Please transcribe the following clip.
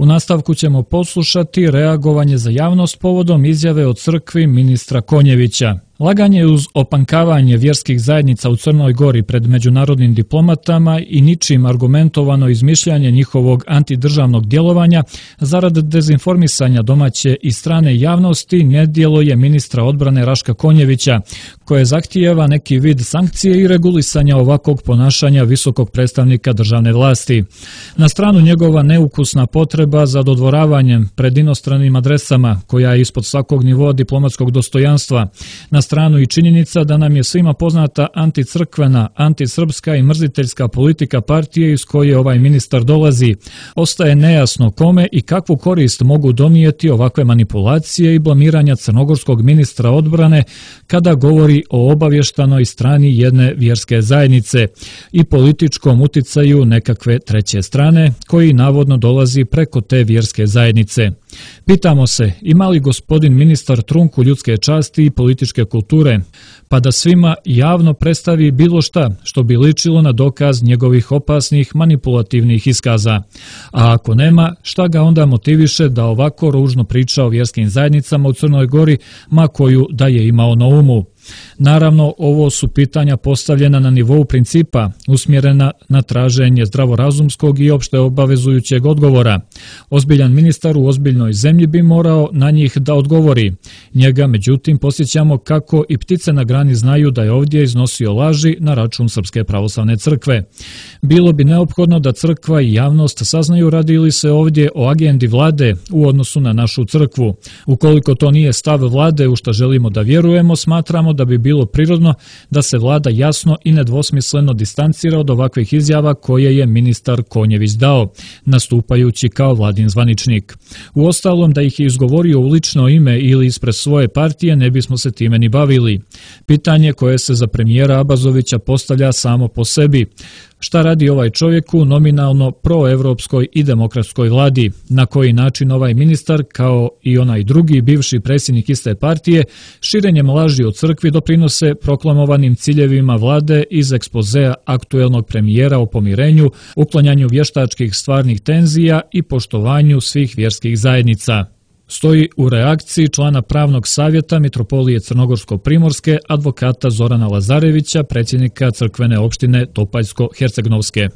U nastavku ćemo poslušati reagovanje za javnost povodom izjave o crkvi ministra Konjevića. Laganje uz opankavanje vjerskih zajednica u Crnoj Gori pred međunarodnim diplomatama i ničim argumentovano izmišljanje njihovog antidržavnog djelovanja zarad dezinformisanja domaće i strane javnosti nedjelo je ministra odbrane Raška Konjevića, koje zahtijeva neki vid sankcije i regulisanja ovakvog ponašanja visokog predstavnika državne vlasti. Na stranu njegova neukusna potreba za dodvoravanjem pred inostranim adresama, koja je ispod svakog nivoa diplomatskog dostojanstva, na stranu i činjenica da nam je svima poznata anticrkvena, antisrpska i mrziteljska politika partije iz koje ovaj ministar dolazi, ostaje nejasno kome i kakvu korist mogu donijeti ovakve manipulacije i blamiranja crnogorskog ministra odbrane kada govori o obavještanoj strani jedne vjerske zajednice i političkom uticaju nekakve treće strane koji navodno dolazi preko te vjerske zajednice. Pitamo se, ima li gospodin ministar trunku ljudske časti i političke kulture, pa da svima javno predstavi bilo šta što bi ličilo na dokaz njegovih opasnih manipulativnih iskaza. A ako nema, šta ga onda motiviše da ovako ružno priča o vjerskim zajednicama u Crnoj Gori, ma koju da je imao na umu? Naravno, ovo su pitanja postavljena na nivou principa, usmjerena na traženje zdravorazumskog i opšte obavezujućeg odgovora. Ozbiljan ministar u ozbiljnoj zemlji bi morao na njih da odgovori. Njega, međutim, posjećamo kako i ptice na grani znaju da je ovdje iznosio laži na račun Srpske pravoslavne crkve. Bilo bi neophodno da crkva i javnost saznaju radi li se ovdje o agendi vlade u odnosu na našu crkvu. Ukoliko to nije stav vlade u što želimo da vjerujemo, smatramo da bi bilo prirodno da se vlada jasno i nedvosmisleno distancira od ovakvih izjava koje je ministar Konjević dao, nastupajući kao vladin zvaničnik. Uostalom, da ih je izgovorio u lično ime ili ispred svoje partije, ne bismo se time ni bavili. Pitanje koje se za premijera Abazovića postavlja samo po sebi. Šta radi ovaj čovjek u nominalno proevropskoj i demokratskoj vladi? Na koji način ovaj ministar, kao i onaj drugi bivši predsjednik iste partije, širenjem laži o crkvi doprinose proklamovanim ciljevima vlade iz ekspozea aktuelnog premijera o pomirenju, uklanjanju vještačkih stvarnih tenzija i poštovanju svih vjerskih zajednica? Stoji u reakciji člana pravnog savjeta Mitropolije Crnogorsko-Primorske, advokata Zorana Lazarevića, predsjednika crkvene opštine Topaljsko-Hercegnovske.